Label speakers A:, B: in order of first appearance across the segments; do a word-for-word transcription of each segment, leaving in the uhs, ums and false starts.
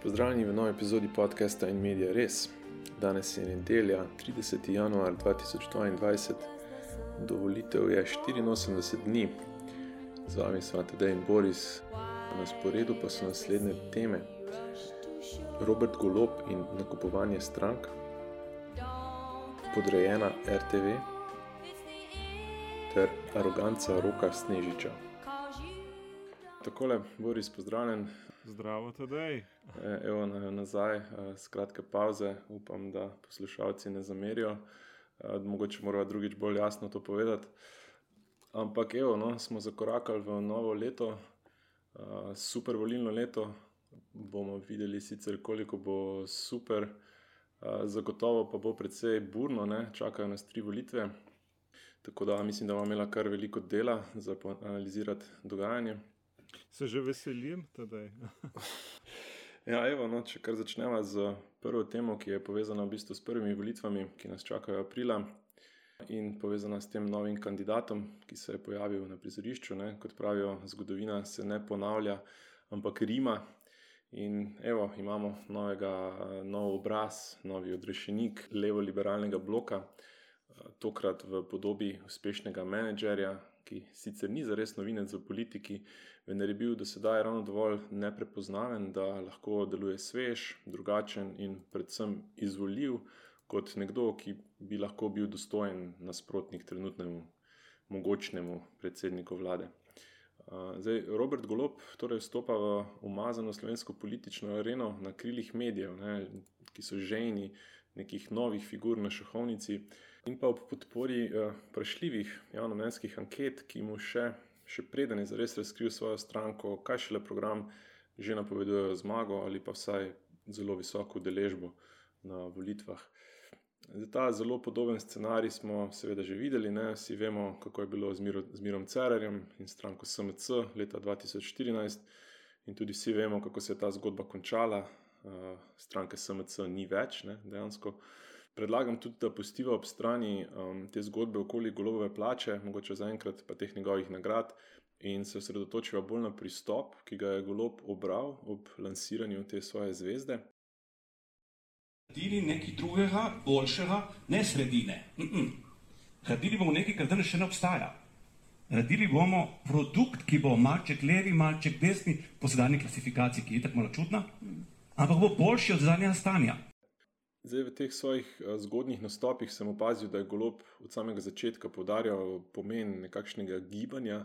A: Pozdravljeni v novi epizodi podcasta In Media Res. Danes je nedelja, trideseti januar dva tisoč dvaindvajset. Do volitev je štiriinosemdeset dni. Z vami sva Tadej in Boris. Na sporedu pa so naslednje teme: Robert Golob in nakupovanje strank, podrejena er te ve ter aroganca Roka Snežiča. Takole, Boris, pozdravljen.
B: Zdravo, Tadej.
A: Evo nazaj, skratka pauze, upam, da poslušalci ne zamerijo. Mogoče morava drugič bolj jasno to povedati. Ampak evo, no, smo zakorakali v novo leto, super volilno leto. Bomo videli sicer, koliko bo super, zagotovo pa bo precej burno, ne? Čakajo nas tri volitve. Tako da mislim, da bomo imela kar veliko dela za analizirati dogajanje.
B: Se že veselim, Tadej.
A: Ja, evo, no, če kar začneva z prvo temo, ki je povezana v bistvu s prvimi volitvami, ki nas čakajo aprila in povezana s tem novim kandidatom, ki se je pojavil na prizorišču, ne. Kot pravijo, zgodovina se ne ponavlja, ampak rima. In evo, imamo novega, nov obraz, novi odrešenik levo-liberalnega bloka, tokrat v podobi uspešnega menedžerja, ki sicer ni zares novinec v politiki, vendar je bil do sedaj ravno dovolj neprepoznaven, da lahko deluje svež, drugačen in predvsem izvoljiv kot nekdo, ki bi lahko bil dostojen nasprotnik trenutnemu mogočnemu predsedniku vlade. Zdaj, Robert Golob torej vstopa v umazano slovensko politično areno na krilih medijev, ne, ki so žejni nekih novih figur na šahovnici, in pa ob podpori eh, vprašljivih javnomnenjskih anket, ki mu še, še preden je zares razkril svojo stranko, kaj šele program, že napovedujejo zmago ali pa vsaj zelo visoko udeležbo na volitvah. Zdaj, ta zelo podoben scenarij smo seveda že videli, ne? Vsi vemo, kako je bilo z, Miro, z Mirom Cerarjem in stranko es em ce leta dva tisoč štirinajst, in tudi vsi vemo, kako se je ta zgodba končala. Uh, stranke es em ce ni več, ne, dejansko. Predlagam tudi, da pustiva ob strani um, te zgodbe okoli Golobove plače, mogoče zaenkrat pa teh njegovih nagrad, in se osredotočiva bolj na pristop, ki ga je Golob obral ob lansiranju te svoje zvezde.
C: Naredili nekaj drugega, boljšega, ne sredine. Naredili bomo nekaj, kar danes še ne obstaja. Naredili bomo produkt, ki bo malček levi, malček desni, po sedanji klasifikaciji, ki je tako malo čudna, ampak bo boljši od zadnjega stanja.
A: Zdaj, v teh svojih zgodnjih nastopih sem opazil, da je Golob od samega začetka poudarjal pomen nekakšnega gibanja,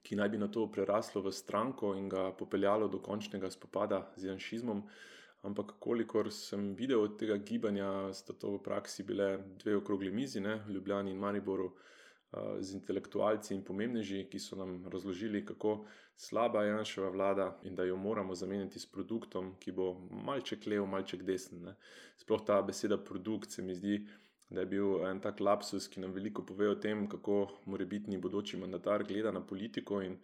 A: ki naj bi na to preraslo v stranko in ga popeljalo do končnega spopada z janšizmom. Ampak kolikor sem videl od tega gibanja, sta to v praksi bile dve okrogli mizi, ne, v Ljubljani in Mariboru, z intelektualci in pomembneži, ki so nam razložili, kako slaba je Janševa vlada in da jo moramo zamenjati s produktom, ki bo malček lev, malček desen, ne. Sploh ta beseda produkt se mi zdi, da je bil en tak lapsus, ki nam veliko pove o tem, kako morebitni bodoči mandatar gleda na politiko in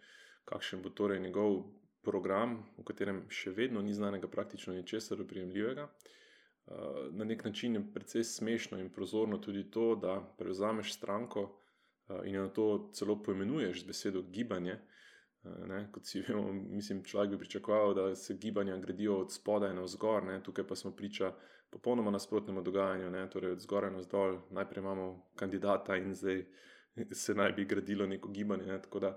A: kakšen bo torej njegov program, v katerem še vedno ni znanega praktično ničesar oprijemljivega. Na nek način je precej smešno in prozorno tudi to, da prevzameš stranko in jo na to celo poimenuješ z besedo gibanje. Ne, kot si vemo, mislim, človek bi pričakoval, da se gibanja gradijo od spodaj navzgor, ne, tukaj pa smo priča popolnoma nasprotnemu dogajanju, ne, torej od zgoraj navzdol. Najprej imamo kandidata in zdaj se naj bi gradilo neko gibanje, ne, tako da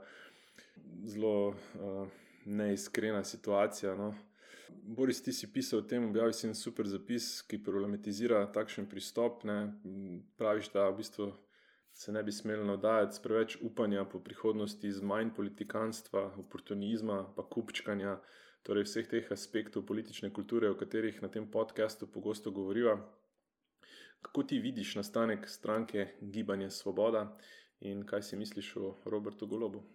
A: zelo uh, neiskrena situacija, no. Boris, ti si pisal o tem, objavil si en super zapis, ki problematizira takšen pristop, ne. Praviš, da v bistvu se ne bi smeli navdajati s preveč upanja po prihodnosti, z manj politikanstva, oportunizma, pa kupčkanja, torej vseh teh aspektov politične kulture, o katerih na tem podcastu pogosto govoriva. Kako ti vidiš nastanek stranke Gibanje Svoboda in kaj si misliš o Robertu Golobu?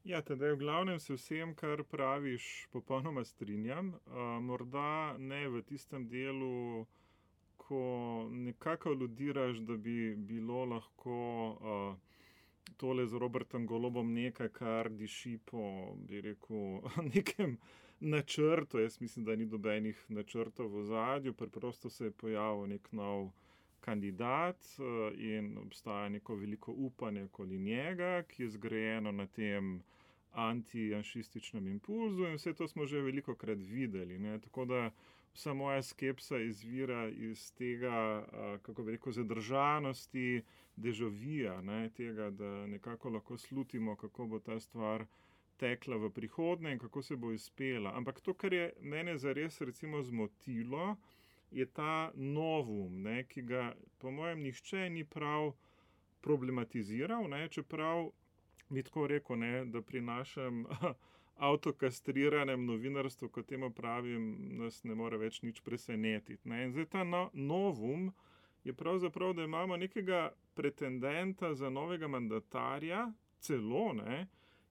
B: Ja, teda v glavnem se vsem, kar praviš, popolnoma strinjam. Uh, morda ne v tistem delu, ko nekako aludiraš, da bi bilo lahko uh, tole z Robertom Golobom nekaj, kar diši po, bi rekel, nekem načrtu. Jaz mislim, da ni dobenih načrtov v ozadju, preprosto se je pojavil nek nov kandidat uh, in obstaja neko veliko upanje okoli njega, ki je zgrajeno na tem anti-janšističnem impulzu in vse to smo že veliko krat videli. Ne? Tako da vsa moja skepsa izvira iz tega, kako bi rekel, zadržanosti, dežavija, ne? Tega, da nekako lahko slutimo, kako bo ta stvar tekla v prihodnje in kako se bo izpela. Ampak to, kar je mene zares recimo zmotilo, je ta novum, ne? Ki ga po mojem nihče ni prav problematiziral, ne? Čeprav bi tako rekel, ne? Da pri našem avtokastriranem novinarstvu, kot temu pravim, nas ne more več nič presenetiti. Ne? In zdaj ta no, novum je pravzaprav, da imamo nekega pretendenta za novega mandatarja, celo, ne?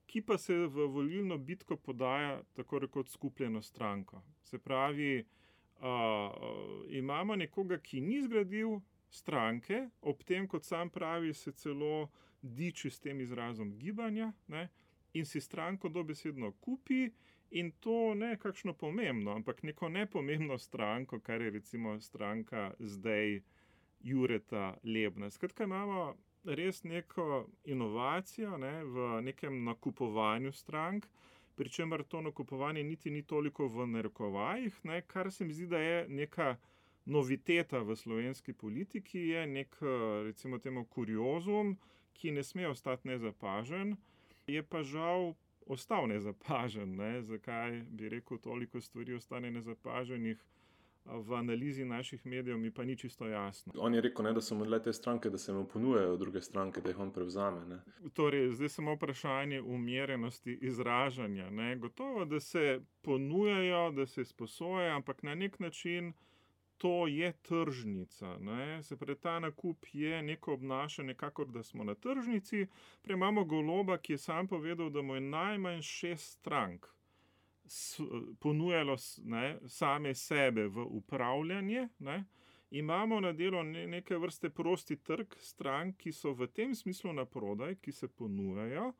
B: Ki pa se v volilno bitko podaja tako rekoč skupljeno stranko. Se pravi, uh, uh, imamo nekoga, ki ni zgradil stranke, ob tem, kot sam pravi, se celo diči s tem izrazom gibanja, ne? In si stranko dobesedno kupi in to ne kakšno pomembno, ampak neko nepomembno stranko, kar je recimo stranka zdaj Jureta Lebna. Skratka, imamo res neko inovacijo, ne, v nekem nakupovanju strank, pri čemer to nakupovanje niti ni toliko v narekovajih, ne, kar se mi zdi, da je neka noviteta v slovenski politiki, je nek, recimo temu, kuriozum, ki ne sme ostati nezapažen, je pa žal ostal nezapažen. Ne? Zakaj bi rekel, toliko stvari ostane nezapaženih v analizi naših medijev, mi pa ni čisto jasno.
A: On je rekel, ne, da so mu le te stranke, da se mu ponujajo druge stranke, da jih on prevzame. Ne?
B: Torej, zdaj samo vprašanje umirjenosti izražanja. Ne? Gotovo, da se ponujajo, da se sposojajo, ampak na nek način to je tržnica. Ne? Se pravi, ta nakup je neko obnašanje, kakor da smo na tržnici. Prej imamo Goloba, ki je sam povedal, da mu je najmanj šest strank ponujalo, ne, same sebe v upravljanje. Ne? Imamo na delu neke vrste prosti trg strank, ki so v tem smislu na prodaj, ki se ponujajo.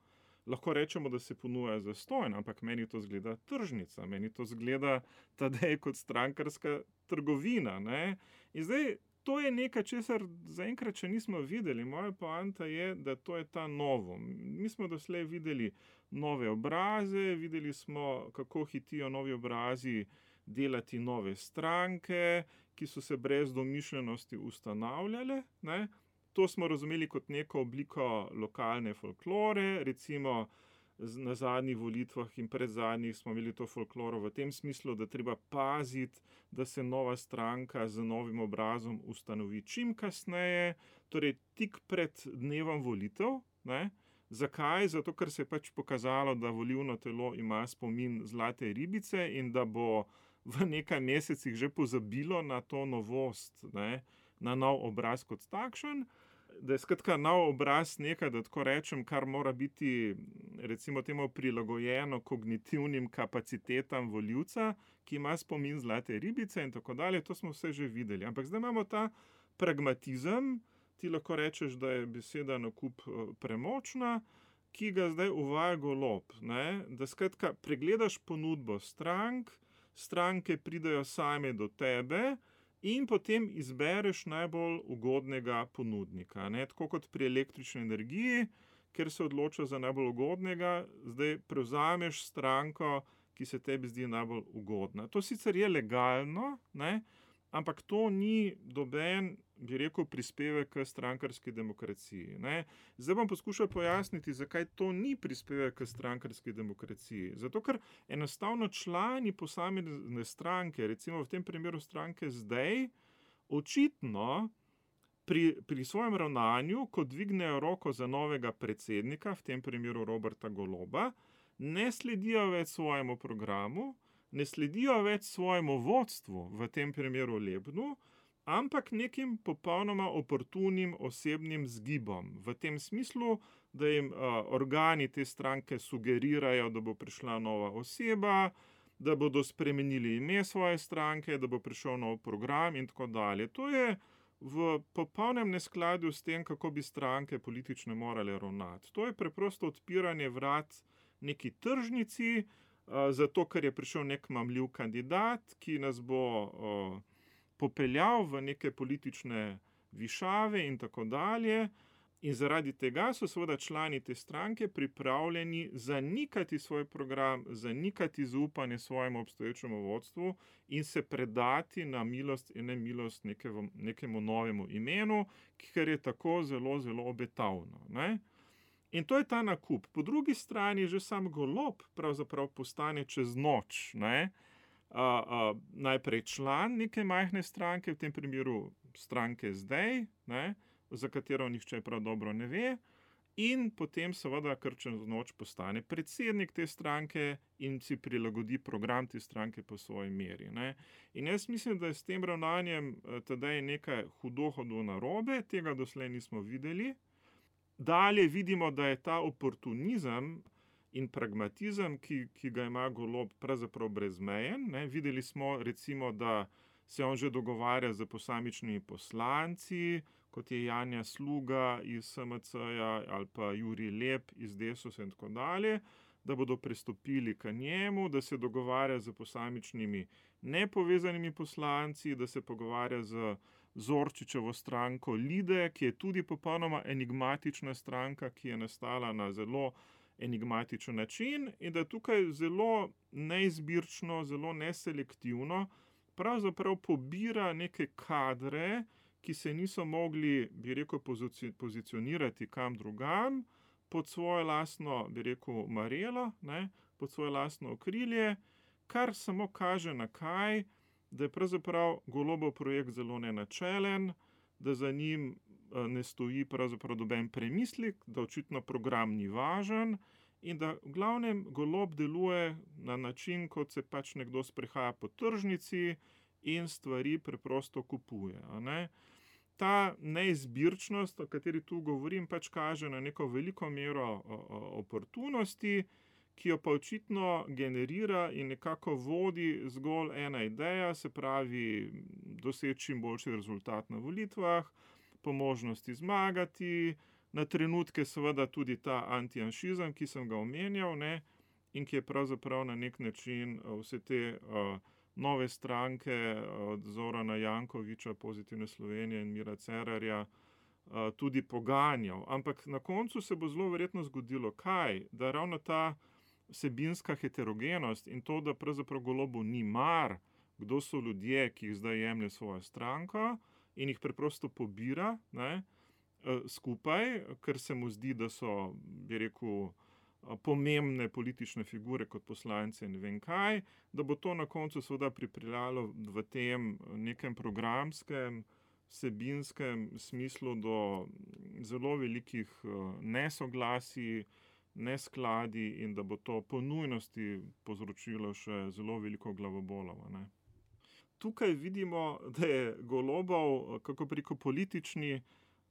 B: Lahko rečemo, da se ponuja zastonj, ampak meni to zgleda tržnica, meni to zgleda Tadej kot strankarska trgovina. Ne? In zdaj, to je nekaj, česar zaenkrat še nismo videli. Moja poanta je, da to je ta novum. Mi smo doslej videli nove obraze, videli smo, kako hitijo novi obrazi delati nove stranke, ki so se brez domišljenosti ustanavljale, ne? To smo razumeli kot neko obliko lokalne folklore, recimo na zadnjih volitvah in pred zadnjih smo imeli to folkloro v tem smislu, da treba paziti, da se nova stranka z novim obrazom ustanovi čim kasneje, torej tik pred dnevom volitev. Ne? Zakaj? Zato, ker se je pač pokazalo, da volilno telo ima spomin zlate ribice in da bo v nekaj mesecih že pozabilo na to novost, ne? Na nov obraz kot takšen. Da je skratka nov obraz nekaj, da tako rečem, kar mora biti recimo temu prilagojeno kognitivnim kapacitetam volivca, ki ima spomin zlate ribice in tako dalje, to smo vse že videli. Ampak zdaj imamo ta pragmatizem, ti lahko rečeš, da je beseda nakup premočna, ki ga zdaj uvaja Golob. Ne? Da skratka pregledaš ponudbo strank, stranke pridejo same do tebe, in potem izbereš najbolj ugodnega ponudnika. Ne? Tako kot pri električni energiji, ker se odloča za najbolj ugodnega, zdaj prevzameš stranko, ki se tebi zdi najbolj ugodna. To sicer je legalno, ne? Ampak to ni doben, bi rekel, prispevek k strankarski demokraciji. Ne? Zdaj bom poskušal pojasniti, zakaj to ni prispevek k strankarski demokraciji. Zato, ker enostavno člani posamezne stranke, recimo v tem primeru stranke zdaj, očitno pri, pri svojem ravnanju, ko dvignejo roko za novega predsednika, v tem primeru Roberta Goloba, ne sledijo več svojemu programu, ne sledijo več svojemu vodstvu, v tem primeru Lebnu, ampak nekim popolnoma oportunim osebnim zgibom. V tem smislu, da jim uh, organi te stranke sugerirajo, da bo prišla nova oseba, da bodo spremenili ime svoje stranke, da bo prišel nov program in tako dalje. To je v popolnem neskladju s tem, kako bi stranke politične morale ravnati. To je preprosto odpiranje vrat neki tržnici, zato ker je prišel nek mamljiv kandidat, ki nas bo uh, popeljal v neke politične višave in tako dalje. In zaradi tega so seveda člani te stranke pripravljeni zanikati svoj program, zanikati zaupanje svojemu obstoječemu vodstvu in se predati na milost in nemilost nekemu, nekemu novemu imenu, ker je tako zelo, zelo obetavno. Ne? In to je ta nakup. Po drugi strani že sam Golob pravzaprav postane čez noč, ne? A, a, najprej član neke majhne stranke, v tem primeru stranke zdaj, ne? Za katero nihče prav dobro ne ve, in potem seveda kar čez noč postane predsednik te stranke in si prilagodi program te stranke po svoji meri. Ne? In jaz mislim, da je s tem ravnanjem tedaj nekaj hudo hudo narobe, tega doslej nismo videli. Dalje vidimo, da je ta oportunizem in pragmatizem, ki, ki ga ima Golob, pravzaprav brezmejen. Ne? Videli smo recimo, da se on že dogovarja z posamičnimi poslanci, kot je Janja Sluga iz S M C-ja ali pa Jurij Lep iz Desusa in tako dalje, da bodo pristopili k njemu, da se dogovarja z posamičnimi nepovezanimi poslanci, da se pogovarja z Zorčičevo stranko Lide, ki je tudi popolnoma enigmatična stranka, ki je nastala na zelo enigmatičen način in da tukaj zelo neizbirčno, zelo neselektivno pravzaprav pobira neke kadre, ki se niso mogli, bi rekel, pozicionirati kam drugam, pod svoje lastno, bi rekel, marelo, ne, pod svoje lastno okrilje, kar samo kaže na kaj, da je pravzaprav Golobov projekt zelo nenačelen, da za njim ne stoji pravzaprav noben premislek, da očitno program ni važen in da v glavnem Golob deluje na način, kot se pač nekdo sprehaja po tržnici in stvari preprosto kupuje. A ne? Ta neizbirčnost, o kateri tu govorim, pač kaže na neko veliko mero oportunosti, ki jo pa očitno generira in nekako vodi zgolj ena ideja, se pravi doseči čim boljši rezultat na volitvah, po možnosti zmagati, na trenutke seveda tudi ta antijanšizem, ki sem ga omenjal, ne, in ki je pravzaprav na nek način vse te uh, nove stranke od Zorana Jankovića, Pozitivne Slovenije in Mira Cerarja uh, tudi poganjal. Ampak na koncu se bo zelo verjetno zgodilo kaj? Da ravno ta vsebinska heterogenost in to, da pravzaprav Golobu ni mar, kdo so ljudje, ki jih zdaj jemlje svojo stranko in jih preprosto pobira, ne, skupaj, ker se mu zdi, da so, bi rekel, pomembne politične figure kot poslanci in ne vem kaj, da bo to na koncu seveda pripeljalo v tem nekem programskem, vsebinskem smislu do zelo velikih nesoglasij, neskladi in da bo to po nujnosti povzročilo še zelo veliko glavobolov. Ne. Tukaj vidimo, da je Golobov, kako preko politični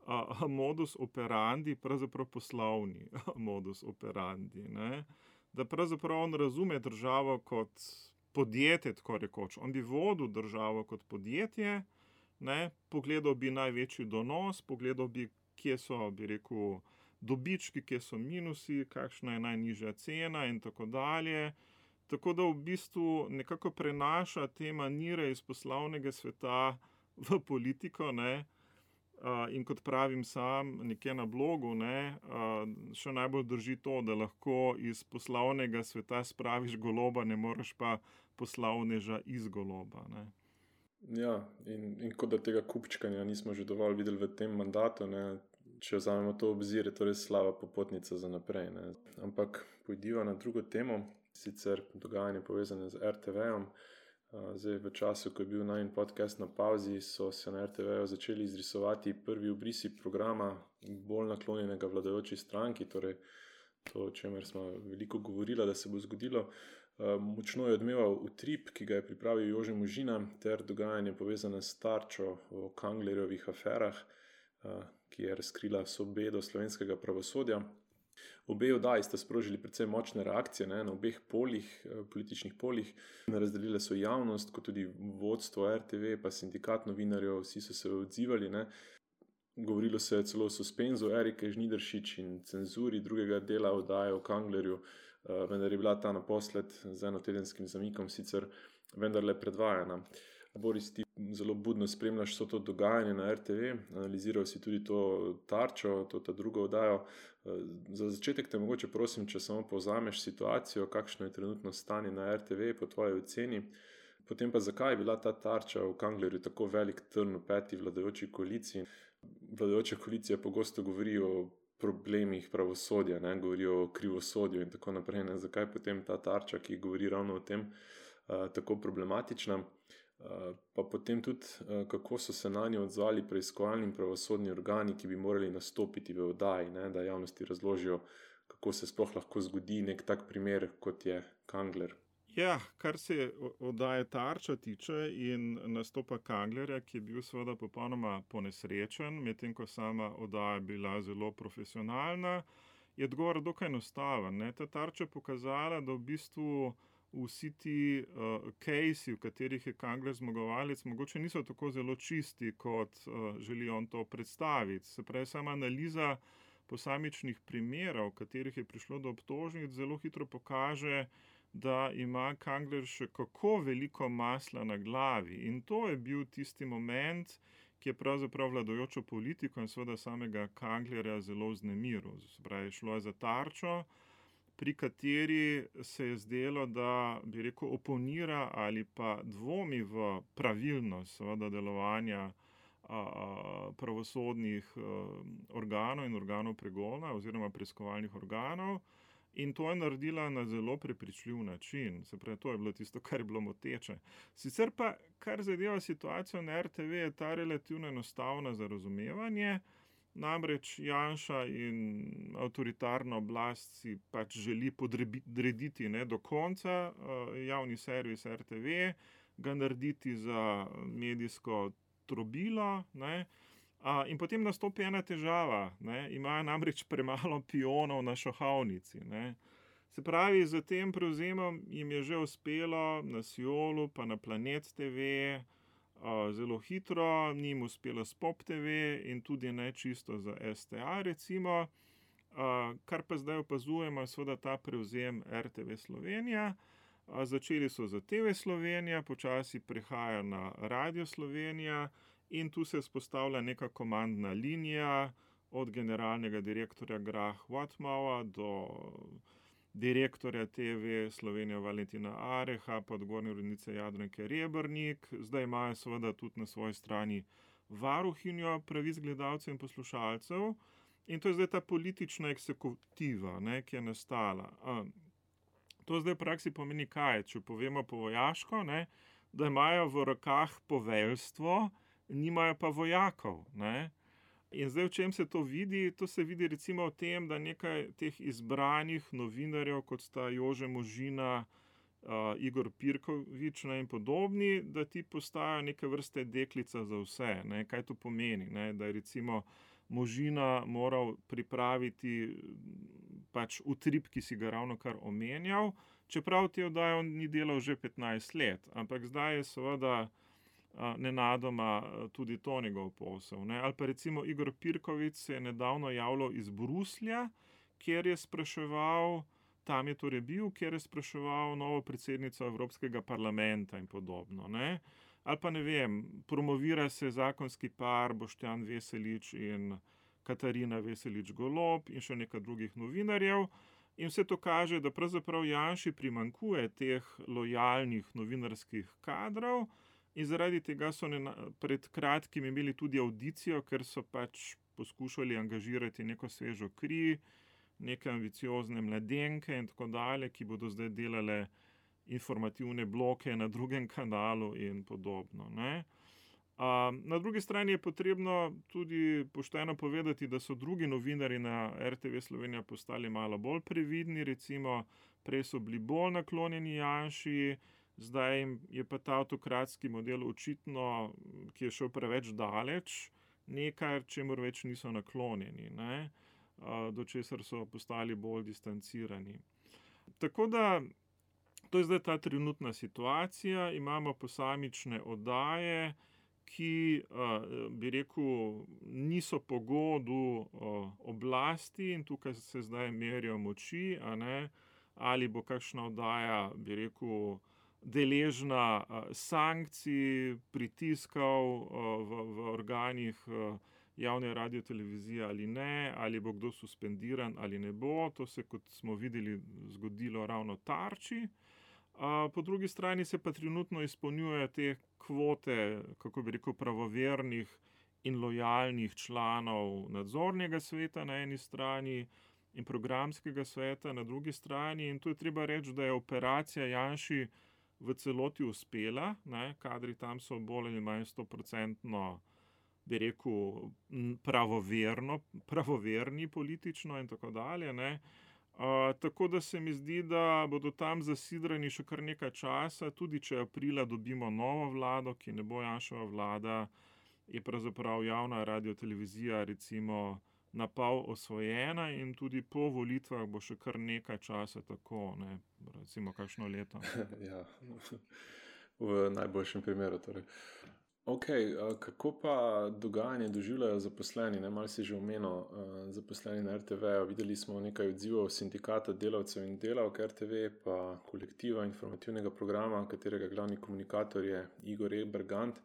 B: a, modus operandi, pravzaprav poslovni modus operandi. Ne? Da pravzaprav on razume državo kot podjetje, tako rekoč. On bi vodil državo kot podjetje, ne? Pogledal bi največji donos, pogledal bi, kje so, bi rekel, dobički, kje so minusi, kakšna je najnižja cena in tako dalje. Tako da v bistvu nekako prenaša te manire iz poslovnega sveta v politiko, ne? Uh, in kot pravim sam nekje na blogu, ne, uh, še najbolj drži to, da lahko iz poslovnega sveta spraviš Goloba, ne moreš pa poslovneža iz Goloba. Ne.
A: Ja, in, in kot da tega kupčkanja nismo že dovolj videli v tem mandatu, ne, če vzamemo to obzir, je to res slaba popotnica za naprej. Ne. Ampak pojdiva na drugo temo, sicer dogajanje povezane z er te ve-om. Zdaj, v času, ko je bil najin podcast na pauzi, so se na er te ve-ju začeli izrisovati prvi obrisi programa bolj naklonjenega vladajoči stranki, torej to, o čemer smo veliko govorili, da se bo zgodilo. Močno je odmeval utrip, ki ga je pripravil Jože Možina, ter dogajanje povezane s Tarčo o Kanglerjevih aferah, ki je razkrila vso bedo slovenskega pravosodja. Obe oddaji sta sprožili precej močne reakcije, ne, na obeh polih, političnih polih. Razdelile so javnost, kot tudi vodstvo er te ve, pa sindikat novinarjev, vsi so se odzivali. Ne. Govorilo se je celo o suspenzu Erike Žnidaršič in cenzuri drugega dela oddaje o Kanglerju, vendar je bila ta naposled z enotedenskim zamikom sicer vendarle predvajana. Boris, ti zelo budno spremljaš vso to dogajanje na R T V, analiziral si tudi to Tarčo, to ta drugo oddajo. Za začetek te mogoče prosim, če samo povzameš situacijo, kakšno je trenutno stanje na R T V po tvoji oceni, potem pa zakaj je bila ta Tarča v Kanglerju tako velik trn v peti vladajoči koaliciji. Vladajoča koalicija pogosto govori o problemih pravosodja, ne, govori o krivosodju in tako naprej, ne, zakaj potem ta Tarča, ki govori ravno o tem, tako problematična. Pa potem tudi, kako so se na njo odzvali preiskovalni in pravosodni organi, ki bi morali nastopiti v oddaji, ne, da javnosti razložijo, kako se sploh lahko zgodi nek tak primer, kot je Kangler.
B: Ja, kar se oddaje Tarča tiče in nastopa Kanglerja, ki je bil seveda popolnoma ponesrečen, medtem ko sama oddaja bila zelo profesionalna, je odgovor dokaj enostaven, ne. Ta Tarča je pokazala, da v bistvu vsi ti uh, kejsi, v katerih je Kangler zmagovalec, mogoče niso tako zelo čisti, kot uh, želi on to predstaviti. Se pravi, sama analiza posamičnih primerov, v katerih je prišlo do obtožnic, zelo hitro pokaže, da ima Kangler še kako veliko masla na glavi. In to je bil tisti moment, ki je pravzaprav vladajočo politiko in seveda samega Kanglerja zelo vznemiril. Se pravi, šlo je za Tarčo, pri kateri se je zdelo, da bi rekel oponira ali pa dvomi v pravilnost seveda delovanja a, a, pravosodnih a, organov in organov pregona oziroma preiskovalnih organov. In to je naredila na zelo prepričljiv način. Se pravi, to je bilo tisto, kar je bilo moteče. Sicer pa, kar zadeva situacijo na R T V, je ta relativno enostavna za razumevanje. Namreč Janša in avtoritarna oblast si pač želi podrediti ne, do konca uh, javni servis R T V, ga narediti za medijsko trobilo, ne. Uh, in potem nastopi ena težava, ne. Imajo namreč premalo pionov na šahovnici, ne. Se pravi, z tem prevzemom jim je že uspelo na Siolu pa na Planet T V, uh, zelo hitro, ni jim uspelo s Pop T V in tudi ne čisto za S T A recimo. Uh, kar pa zdaj opazujemo, seveda ta prevzem R T V Slovenija. Uh, začeli so za T V Slovenija, počasi prehaja na Radio Slovenija in tu se vzpostavlja neka komandna linija od generalnega direktorja Grah Whatmougha do direktorja T V Slovenija Valentina Areha, pa odgovorne urednice Jadranke Rebernik. Zdaj imajo seveda tudi na svoji strani varuhinjo pravic gledalcev in poslušalcev. In to je zdaj ta politična eksekutiva, ne, ki je nastala. Um, to zdaj v praksi pomeni kaj? Če povemo po vojaško, ne, da imajo v rokah poveljstvo, nimajo pa vojakov, ne. In zdaj v čem se to vidi? To se vidi recimo v tem, da nekaj teh izbranih novinarjev, kot sta Jože Možina, uh, Igor Pirkovič, ne, in podobni, da ti postajajo neke vrste deklica za vse, ne. Kaj to pomeni, ne? Da je recimo Možina moral pripraviti pač utrip, ki si ga ravno kar omenjal, čeprav te oddaje on ni delal že petnajst let, ampak zdaj je seveda nenadoma tudi to njegov posel, ne. Ali pa recimo Igor Pirkovič se je nedavno javljal iz Bruslja, kjer je spraševal, tam je torej bil, kjer je spraševal novo predsednico Evropskega parlamenta in podobno, ne. Ali pa ne vem, promovira se zakonski par Boštjan Veselič in Katarina Veselič Golob in še nekaj drugih novinarjev. In vse to kaže, da pravzaprav Janši primanjkuje teh lojalnih novinarskih kadrov in zaradi tega so ne, pred kratkim imeli tudi audicijo, ker so pač poskušali angažirati neko svežo kri, neke ambiciozne mladenke in tako dalje, ki bodo zdaj delale informativne bloke na drugem kanalu in podobno, ne. Um, na drugi strani je potrebno tudi pošteno povedati, da so drugi novinarji na R T V Slovenija postali malo bolj previdni, recimo prej so bili bolj naklonjeni Janši, zdaj je pa ta avtokratski model očitno, ki je šel preveč daleč, nekaj, čemur več niso naklonjeni, ne, uh, do česar so postali bolj distancirani. Tako da to je zdaj ta trenutna situacija, imamo posamične oddaje, ki, bi rekel, niso po godu oblasti in tukaj se zdaj merijo moči, a ne, ali bo kakšna oddaja, bi rekel, deležna sankcij, pritiskov v, v organih javne radiotelevizije ali ne, ali bo kdo suspendiran ali ne bo. To se, kot smo videli, zgodilo ravno Tarči. Po drugi strani se pa trenutno izpolnjujejo te kvote, kako bi rekel, pravovernih in lojalnih članov nadzornega sveta na eni strani in programskega sveta na drugi strani. In tu je treba reči, da je operacija Janši v celoti uspela, ne, kadri tam so bolj ali manj stoprocentno, bi rekel, pravoverno, pravoverni politično in tako dalje, ne. Uh, tako da se mi zdi, da bodo tam zasidrani še kar nekaj časa, tudi če aprila dobimo novo vlado, ki ne bo Janševa vlada, je pravzaprav javna radiotelevizija recimo na pol osvojena in tudi po volitvah bo še kar nekaj časa tako, ne, recimo kakšno leto.
A: Ja, v najboljšem primeru torej. Ok, kako pa dogajanje doživljajo zaposleni? Ne, malo si že omenil, zaposleni na er te ve. Videli smo nekaj odzivov sindikata delavcev in delavk er te ve, pa kolektiva informativnega programa, katerega glavni komunikator je Igor E. Bergant.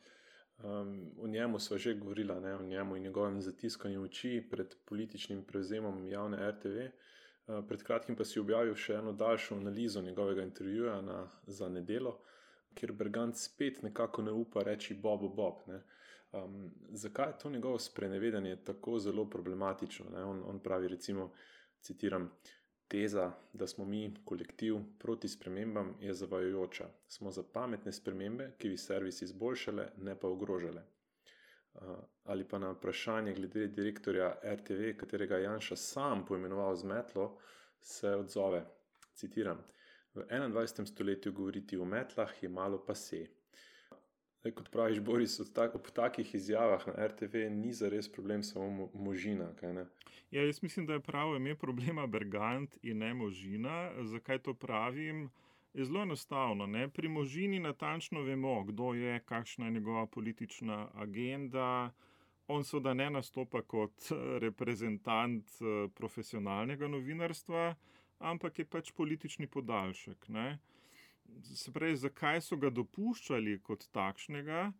A: Um, o njemu sva že govorila, ne, o njemu in njegovem zatiskanju oči pred političnim prevzemom javne er te ve. Uh, pred kratkim pa si objavil še eno daljšo analizo njegovega intervjuja na, za Nedelo, kjer Bergant spet nekako ne upa reči Bobo Bob. Ne. Um, zakaj je to njegovo sprenevedanje tako zelo problematično? Ne? On, on pravi recimo, citiram, teza, da smo mi kolektiv proti spremembam je zavajajoča. Smo za pametne spremembe, ki bi servis izboljšale, ne pa ogrožale. Uh, ali pa na vprašanje glede direktorja er te ve, katerega Janša sam poimenoval z metlo, se odzove, citiram, v enaindvajsetem stoletju govoriti o metlah je malo pase. Zdaj, kot praviš, Boris, tak, ob takih izjavah na er te ve ni zares problem samo Možina, kaj ne?
B: Ja, jaz mislim, da je pravo ime problema Bergant in ne Možina. Zakaj to pravim? Je zelo enostavno, ne? Pri Možini natančno vemo, kdo je, kakšna je njegova politična agenda. On seveda ne nastopa kot reprezentant profesionalnega novinarstva, ampak je pač politični podaljšek, ne? Se pravi, zakaj so ga dopuščali kot takšnega,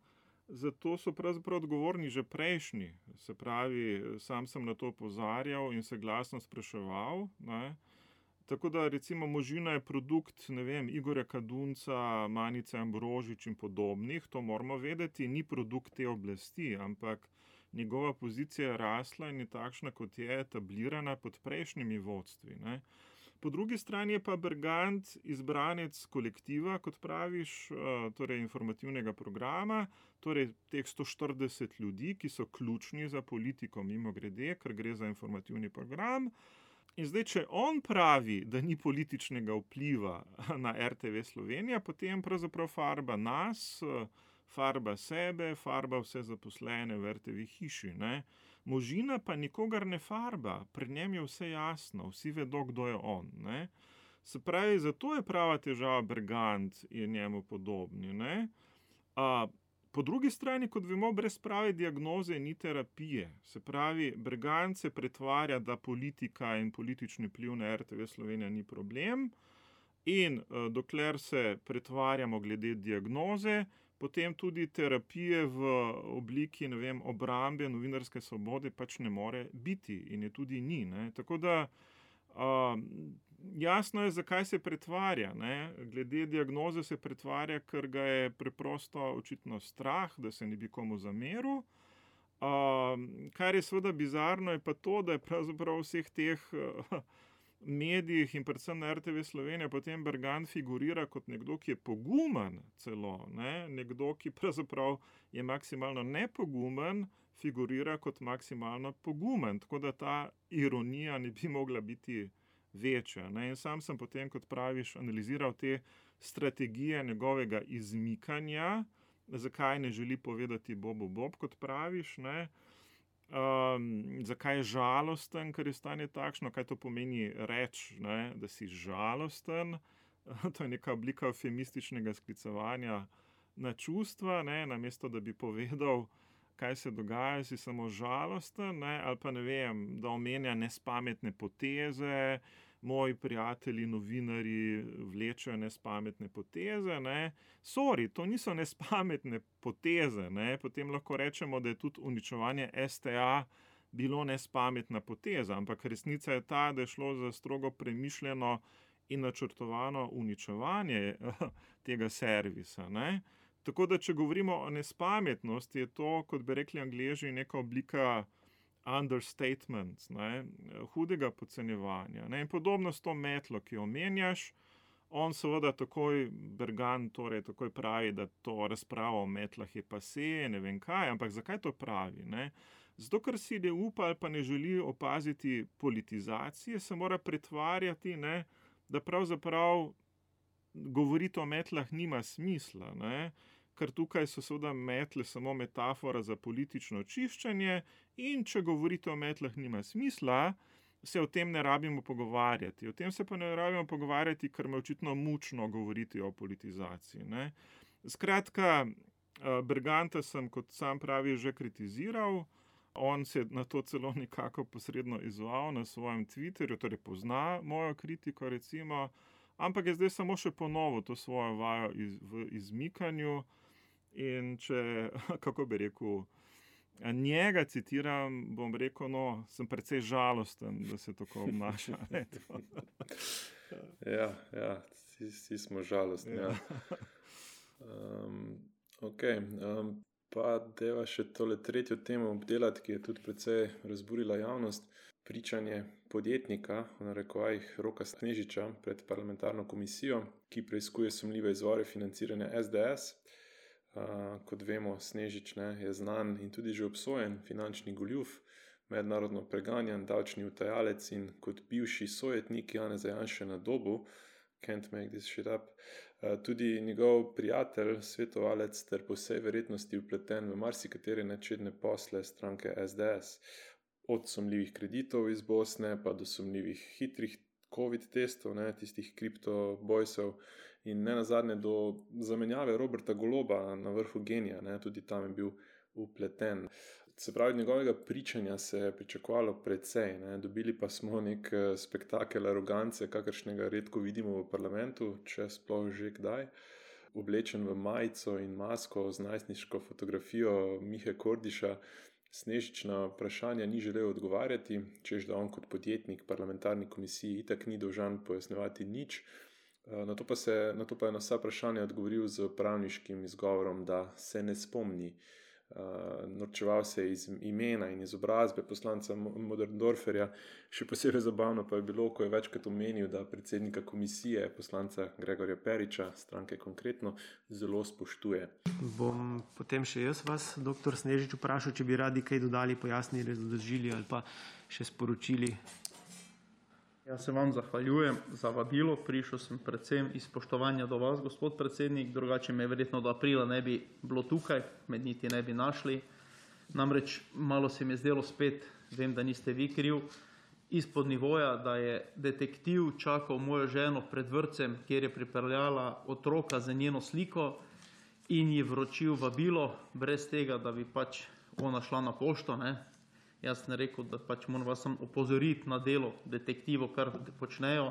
B: zato so pravzaprav odgovorni že prejšnji. Se pravi, sam sem na to opozarjal in se glasno spraševal, ne. Tako da recimo Možina je produkt, ne vem, Igorja Kadunca, Manice Ambrožič in podobnih, to moramo vedeti, ni produkt te oblasti, ampak njegova pozicija je rasla in je takšna, kot je, etablirana pod prejšnjimi vodstvi, ne. Po drugi strani je pa Bergant izbranec kolektiva, kot praviš, torej informativnega programa, torej teh sto štirideset ljudi, ki so ključni za politiko mimogrede, ker gre za informativni program. In zdaj, če on pravi, da ni političnega vpliva na er te ve Slovenija, potem pravzaprav farba nas, farba sebe, farba vse zaposlene v er te ve hiši, ne. Možina pa nikogar ne farba, pri njem je vse jasno, vsi vedo, kdo je on, ne. Se pravi, zato je prava težava Bergant in njemu podobni, ne. A, po drugi strani, kot vemo, brez prave diagnoze ni terapije. Se pravi, Bergant se pretvarja, da politika in politični vpliv na er te ve Slovenija ni problem in dokler se pretvarjamo glede diagnoze, potem tudi terapije v obliki, ne vem, obrambe novinarske svobode pač ne more biti in je tudi ni, ne. Tako da uh, jasno je, zakaj se pretvarja, ne. Glede diagnoze se pretvarja, ker ga je preprosto očitno strah, da se ne bi komu zameril. Uh, kar je seveda bizarno, je pa to, da je pravzaprav vseh teh uh, medijih in predvsem na er te ve Slovenija potem Bergant figurira kot nekdo, ki je pogumen celo, ne? Nekdo, ki pravzaprav je maksimalno nepogumen, figurira kot maksimalno pogumen, tako da ta ironija ne bi mogla biti večja, ne? In sam sem potem, kot praviš, analiziral te strategije njegovega izmikanja, zakaj ne želi povedati Bobo Bob, kot praviš, ne? Um, zakaj je žalosten, ker je stanje takšno, kaj to pomeni reči, ne, da si žalosten, to je neka oblika eufemističnega sklicevanja na čustva, ne, namesto da bi povedal, kaj se dogaja, si samo žalosten, ne, ali pa ne vem, da omenja nespametne poteze, moji prijatelji, novinarji vlečejo nespametne poteze. Ne. Sorry, to niso nespametne poteze. Ne. Potem lahko rečemo, da je tudi uničevanje S T A bilo nespametna poteza, ampak resnica je ta, da je šlo za strogo premišljeno in načrtovano uničevanje tega servisa. Ne. Tako da, če govorimo o nespametnosti, je to, kot bi rekli Angleži, neka oblika understatement, ne, hudega podcenjevanja. Ne. In podobno s to metlo, ki jo omenjaš, on seveda takoj, Bergan torej takoj pravi, da to razpravo o metlah je pasé, ne vem kaj, ampak zakaj to pravi? Ne? Zato, ker si ne upa ali pa ne želi opaziti politizacije, se mora pretvarjati, ne, da pravzaprav govoriti o metlah nima smisla, ne? Ker tukaj so seveda metle samo metafora za politično čiščenje in če govorite o metlah nima smisla, se o tem ne rabimo pogovarjati. O tem se pa ne rabimo pogovarjati, ker me očitno mučno govoriti o politizaciji. Ne? Skratka, Berganta sem, kot sam pravi, že kritiziral. On se je na to celo nekako posredno izval na svojem Twitterju, torej pozna mojo kritiko recimo, ampak je zdaj samo še ponovil to svojo vajo iz, v izmikanju. In če, kako bi rekel, njega citiram, bom rekel, no, sem precej žalosten, da se tako obnaša.
A: ja, ja, vsi, vsi smo žalostni. Ja. Ja. Um, ok, um, pa deva še tole tretjo temo obdelati, ki je tudi precej razburila javnost. Pričanje podjetnika, v narekovajih Roka Snežiča, pred parlamentarno komisijo, ki preiskuje sumljive izvore financiranja S D S. Uh, kot vemo, Snežič ne, je znan in tudi že obsojen finančni goljuf, mednarodno preganjan davčni utajalec in kot bivši sojetnik Janeza Janše na Dobu, can't make this shit up, uh, tudi njegov prijatelj, svetovalec ter po vsej verjetnosti vpleten v marsikatere nečedne posle stranke S D S. Od sumljivih kreditov iz Bosne pa do sumljivih hitrih COVID testov, ne, tistih kriptobojsov, in ne nazadnje do zamenjave Roberta Goloba na vrhu Genija, ne, tudi tam je bil vpleten. Se pravi, njegovega pričanja se je pričakovalo precej, ne, dobili pa smo nek spektakel arogance, kakršnega redko vidimo v parlamentu, če sploh že kdaj. Oblečen v majico in masko z najstniško fotografijo Mihe Kordiša, Snežič na vprašanja ni želel odgovarjati, češ da on kot podjetnik parlamentarni komisiji itak ni dolžan pojasnjevati nič. Na to pa, se, na to pa je na vsa vprašanja odgovoril z pravniškim izgovorom, da se ne spomni. Uh, norčeval se je iz imena in izobrazbe poslanca Möderndorferja. Še posebej zabavno pa je bilo, ko je večkrat omenil, da predsednika komisije, poslanca Gregorja Periča, stranke Konkretno, zelo spoštuje.
D: Bom potem še jaz vas, doktor Snežič, vprašal, če bi radi kaj dodali, pojasnili, razložili ali pa še sporočili.
E: Jaz se vam zahvaljujem za vabilo, prišel sem predvsem iz spoštovanja do vas, gospod predsednik, drugače me verjetno do aprila ne bi bilo tukaj, med niti ne bi našli. Namreč malo se mi je zdelo spet, vem, da niste vi kriv, izpod nivoja, da je detektiv čakal mojo ženo pred vrtcem, kjer je pripeljala otroka za njeno sliko in ji vročil vabilo, brez tega, da bi pač ona šla na pošto, ne. Jaz sem rekel, da pač moram vas sam opozoriti na delo detektivov, kar počnejo.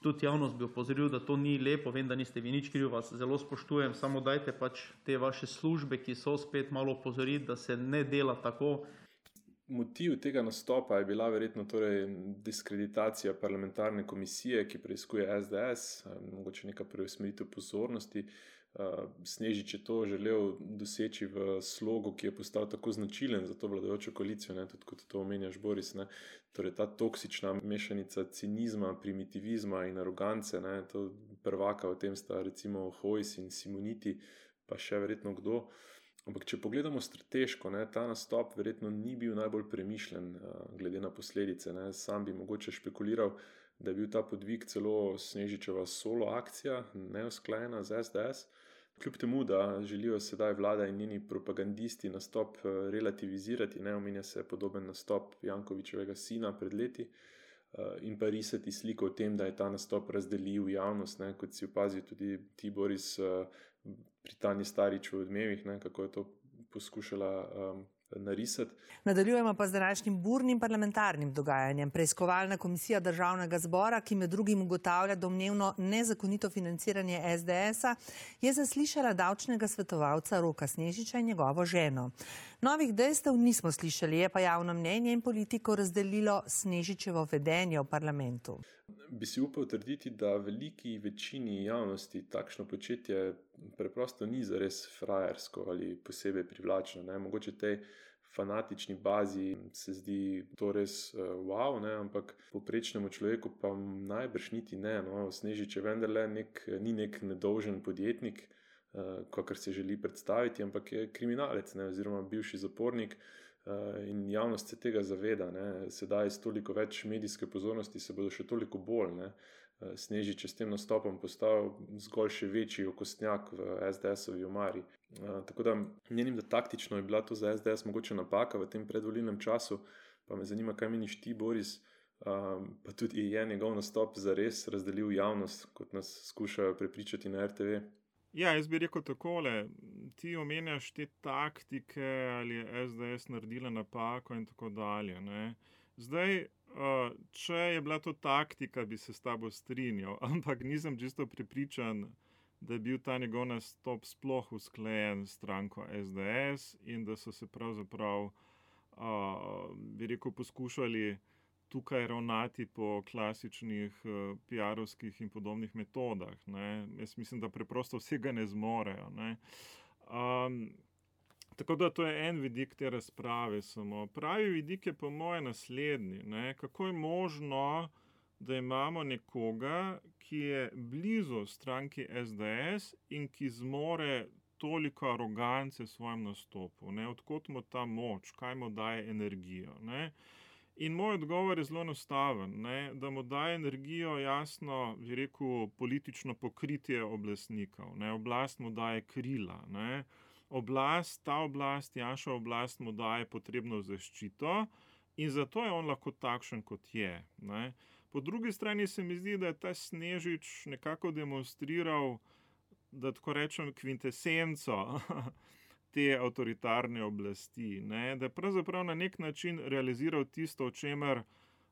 E: Tudi javnost bi opozoril, da to ni lepo, vem, da niste vi nič krivi, vas zelo spoštujem, samo dajte pač te vaše službe, ki so spet malo opozoriti, da se ne dela tako.
A: Motiv tega nastopa je bila verjetno torej diskreditacija parlamentarne komisije, ki preiskuje S D S, mogoče neka preusmeritev pozornosti. Snežič je to želel doseči v slogu, ki je postal tako značilen za to vladajočo koalicijo, ne, tudi kot to omenjaš, Boris, ne, torej ta toksična mešanica cinizma, primitivizma in arogance, ne, to prvaka v tem sta recimo Hojs in Simoniti, pa še verjetno kdo. Ampak če pogledamo strateško, ne, ta nastop verjetno ni bil najbolj premišljen glede na posledice, ne, sam bi mogoče špekuliral, da je bil ta podvig celo Snežičeva solo akcija, neusklajena z S D S. Kljub temu, da želijo sedaj vlada in njeni propagandisti nastop relativizirati, ne, omenja se podoben nastop Jankovićevega sina pred leti in pa risati sliko o tem, da je ta nastop razdelil javnost, ne, kot si opazil tudi ti, Boris, pri Tanji Starič v Odmevih, ne, kako je to poskušala um, narisati.
F: Nadaljujemo pa z današnjim burnim parlamentarnim dogajanjem. Preiskovalna komisija Državnega zbora, ki med drugim ugotavlja domnevno nezakonito financiranje es de es-a, je zaslišala davčnega svetovalca Roka Snežiča in njegovo ženo. Novih dejstev nismo slišali, je pa javno mnenje in politiko razdelilo Snežičevo vedenje v parlamentu.
A: Bi si upal trditi, da veliki večini javnosti takšno početje preprosto ni zares frajersko ali posebej privlačno. Ne? Mogoče tej fanatični bazi se zdi to res uh, wow, ne? Ampak povprečnemu človeku pa najbrž niti ne. No? Snežič je vendarle nek, ni nek nedolžen podjetnik, uh, kakor se želi predstaviti, ampak je kriminalec, ne? Oziroma bivši zapornik. In javnost se tega zaveda, ne. Sedaj s toliko več medijske pozornosti se bodo še toliko bolj, ne. Snežič je s tem nastopom postal zgolj še večji okostnjak v es de es-ovi omari. Tako da menim, da taktično je bila to za es de es mogoče napaka v tem predvolilnem času, pa me zanima, kaj meniš ti, Boris, pa tudi je njegov nastop zares razdelil javnost, kot nas skušajo prepričati na er te ve.
B: Ja, jaz bi rekel takole, ti omenjaš te taktike, ali je es de es naredila napako in tako dalje. Ne? Zdaj, če je bila to taktika, bi se s tabo strinjal, ampak nisem čisto prepričan, da je bil ta njegov nastop sploh usklajen s stranko es de es in da so se pravzaprav, bi rekel, poskušali tukaj ravnati po klasičnih uh, pi arovskih in podobnih metodah. Ne? Jaz mislim, da preprosto vsega ne zmorejo. Ne? Um, tako da to je en vidik te razprave samo. Pravi vidik je po moje naslednji. Ne? Kako je možno, da imamo nekoga, ki je blizu stranki es de es in ki zmore toliko arogance v svojem nastopu. Ne? Odkot mu ta moč, kaj mu daje energijo. Ne? In moj odgovor je zelo enostaven, ne, da mu daje energijo jasno, bi rekel, politično pokritje oblastnikov. Ne, oblast mu daje krila. Ne. Oblast, ta oblast, Janševa oblast mu daje potrebno zaščito in zato je on lahko takšen, kot je. Ne. Po drugi strani se mi zdi, da je ta Snežič nekako demonstriral, da tako rečem, kvintesenco te avtoritarne oblasti, ne? Da je pravzaprav na nek način realiziral tisto, o čemer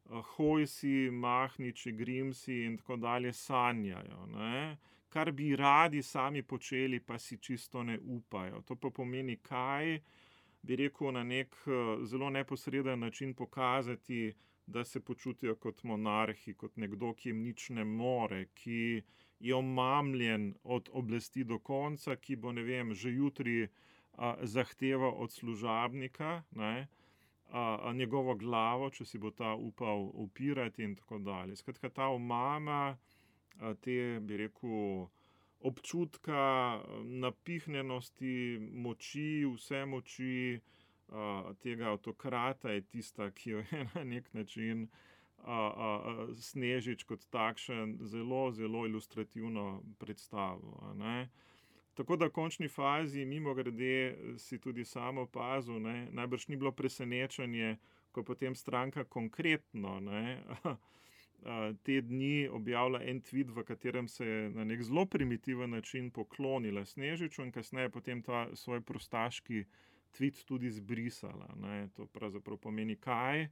B: Hojsi, Mahniči, Grimsi in tako dalje sanjajo, ne? Kar bi radi sami počeli, pa si čisto ne upajo. To pa pomeni kaj, bi rekel, na nek zelo neposreden način pokazati, da se počutijo kot monarhi, kot nekdo, ki jim nič ne more, ki je omamljen od oblasti do konca, ki bo, ne vem, že jutri zahteva od služabnika, ne, a, a njegovo glavo, če si bo ta upal upirati in tako dalje. Skratka, ta omama, a, te, bi rekel, občutka napihnjenosti, moči, vse moči a, tega avtokrata je tista, ki jo je na nek način a, a, a, Snežič kot takšen zelo, zelo ilustrativno predstavil, a ne. Tako da v končni fazi, mimo grede, si tudi samo opazil, ne, najbrž ni bilo presenečenje, ko potem stranka konkretno, ne, te dni objavlja en tweet, v katerem se je na nek zelo primitiven način poklonila Snežiču in kasneje potem ta svoj prostaški tweet tudi zbrisala. Ne. To pravzaprav pomeni kaj?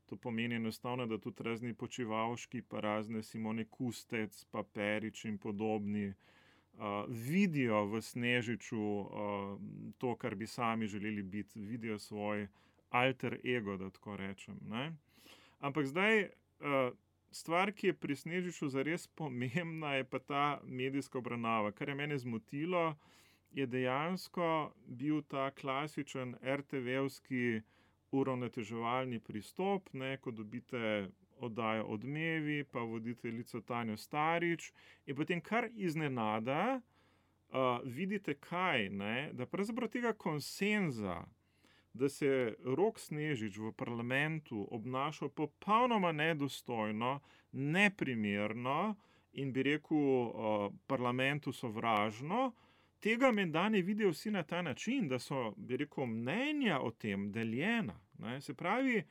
B: To pomeni enostavno, da tudi razni Počivalški, pa razne Simone Kustec, pa Perič in podobni Uh, vidijo v Snežiču uh, to, kar bi sami želeli biti, vidijo svoj alter ego, da tako rečem. Ne? Ampak zdaj, uh, stvar, ki je pri Snežiču zares pomembna, je pa ta medijska obravnava. Kar je mene zmotilo, je dejansko bil ta klasičen er te ve-ovski uravnoteževalni pristop, ne, ko dobite oddajo Odmevi, pa voditeljico Tanjo Starič in potem kar iznenada uh, vidite kaj, ne, da pravzaprav tega konsenza, da se Rok Snežič v parlamentu obnašal popolnoma nedostojno, neprimerno in bi rekel uh, parlamentu sovražno, tega menda ne vidijo vsi na ta način, da so, bi rekel, mnenja o tem deljena. Ne. Se pravi,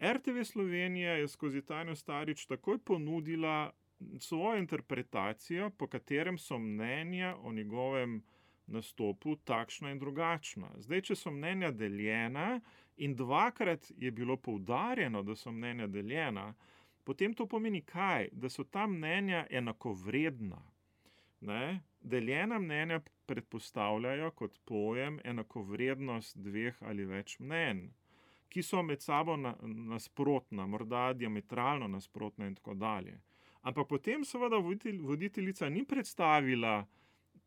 B: er te ve Slovenija je skozi Tanjo Starič takoj ponudila svojo interpretacijo, po katerem so mnenja o njegovem nastopu takšna in drugačna. Zdaj, če so mnenja deljena in dvakrat je bilo poudarjeno, da so mnenja deljena, potem to pomeni kaj? Da so ta mnenja enakovredna. Ne? Deljena mnenja predpostavljajo kot pojem enakovrednost dveh ali več mnenj, ki so med sabo na, nasprotna, morda diametralno nasprotna in tako dalje. Ampak potem seveda voditelj, voditeljica ni predstavila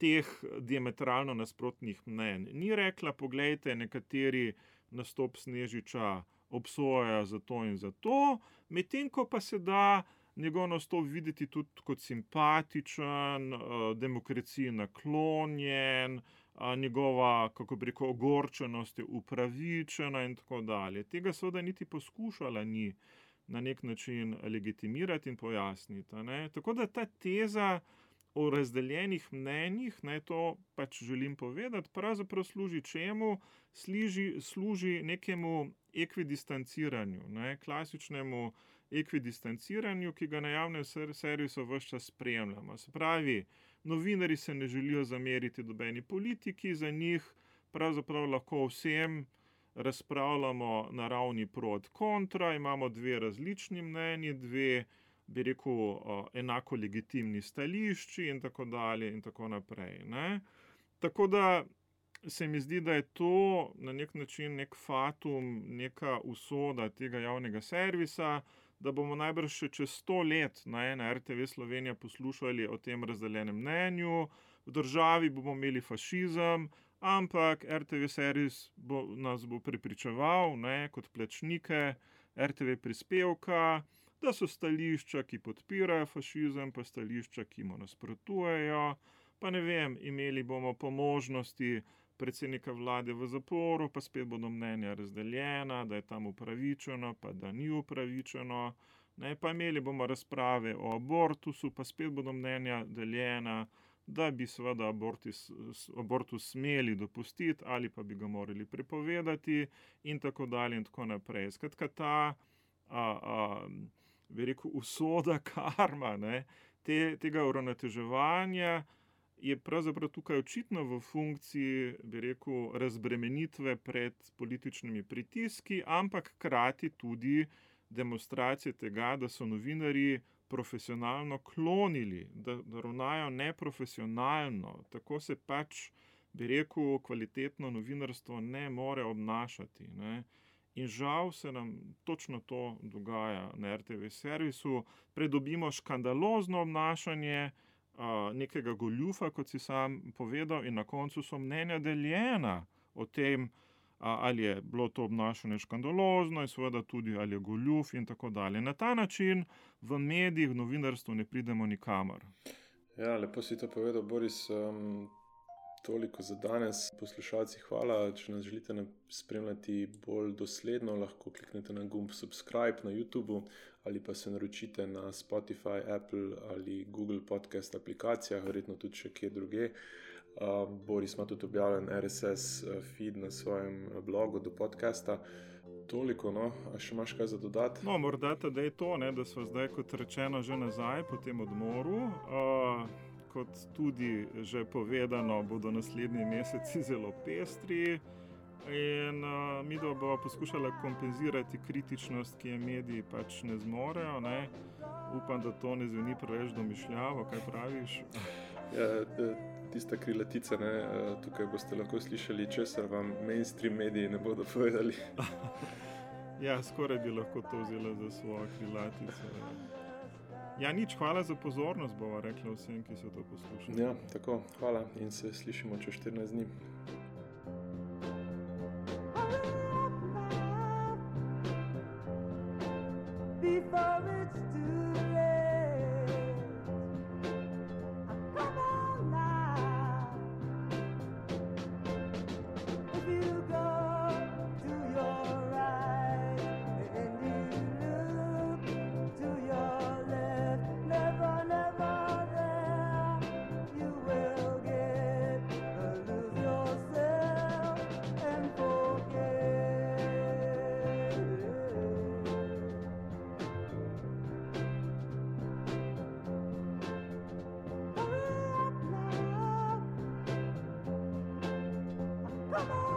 B: teh diametralno nasprotnih mnenj. Ni rekla, poglejte, nekateri nastop Snežiča obsojajo za to in za to, medtem ko pa se da njegov nastop videti tudi kot simpatičen, demokraciji naklonjen, njegova, kako bi rekel, ogorčenost je upravičena in tako dalje. Tega seveda niti poskušala ni na nek način legitimirati in pojasniti. Ne? Tako da ta teza o razdeljenih mnenjih, ne, to pač želim povedati, pravzaprav služi čemu? Služi, služi nekemu ekvidistanciranju, ne, klasičnemu ekvidistanciranju, ki ga na javnem servisu ves čas spremljamo. Se pravi, novinarji se ne želijo zameriti nobeni politiki, za njih pravzaprav lahko vsem razpravljamo na ravni pro et kontra, imamo dve različni mnenji, dve, bi rekel, enako legitimni stališči in tako dalje in tako naprej. Ne? Tako da se mi zdi, da je to na nek način nek fatum, neka usoda tega javnega servisa, da bomo najbrž še čez sto let ne, na er te ve Slovenija poslušali o tem razdeljenem mnenju, v državi bomo imeli fašizem, ampak er te ve servis bo, nas bo prepričeval ne, kot plačnike er te ve prispevka, da so stališča, ki podpirajo fašizem, pa stališča, ki mu nasprotujejo, pa ne vem, imeli bomo po možnosti predsednika vlade v zaporu, pa spet bodo mnenja razdeljena, da je tam upravičeno, pa da ni upravičeno. Ne, pa imeli bomo razprave o abortusu, pa spet bodo mnenja deljena, da bi seveda abortus, abortus smeli dopustiti ali pa bi ga morali prepovedati in tako dalje in tako naprej. Skratka, ta a, a, bi rekel, usoda karma ne, te, tega uravnoteževanja je pravzaprav tukaj očitno v funkciji, bi rekel, razbremenitve pred političnimi pritiski, ampak hkrati tudi demonstracije tega, da so novinarji profesionalno klonili, da, da ravnajo neprofesionalno. Tako se pač, bi rekel, kvalitetno novinarstvo ne more obnašati. Ne. In žal se nam točno to dogaja na er te ve servisu. Predobimo škandalozno obnašanje nekega goljufa, kot si sam povedal, in na koncu so mnenja deljena o tem, ali je bilo to obnašanje škandalozno in seveda tudi ali je goljuf in tako dalje. Na ta način v medijih, v novinarstvu ne pridemo nikamor.
A: Ja, lepo si to povedal, Boris. Um, toliko za danes. Poslušalci, hvala. Če nas želite spremljati bolj dosledno, lahko kliknete na gumb subscribe na YouTubu ali pa se naročite na Spotify, Apple ali Google podcast aplikacijah, verjetno tudi še kje druge. Uh, Boris ima tudi objavljen er es es feed na svojem blogu do podcasta. Toliko, no. A še imaš kaj za dodati?
B: No, morda da je to, ne, da smo zdaj, kot rečeno, že nazaj po tem odmoru. Uh, kot tudi že povedano, bodo naslednji meseci zelo pestri in uh, mi da bo poskušala kompenzirati kritičnost, ki je mediji pač ne zmorejo. Ne. Upam, da to ne zveni preveč domišljavo, kaj praviš?
A: Ja, tista krilatica, ne, tukaj boste lahko slišali, česar vam mainstream mediji ne bodo povedali.
B: Ja, skoraj bi lahko to vzela za svojo krilatico. Ja, nič, hvala za pozornost, bova rekla vsem, ki so to poslušali.
A: Ja, tako, hvala in se slišimo čez štirinajst dni. Before it's too late, come on now. If you go to your right and you look to your left, never, never there, you will get lose yourself.
G: Come on!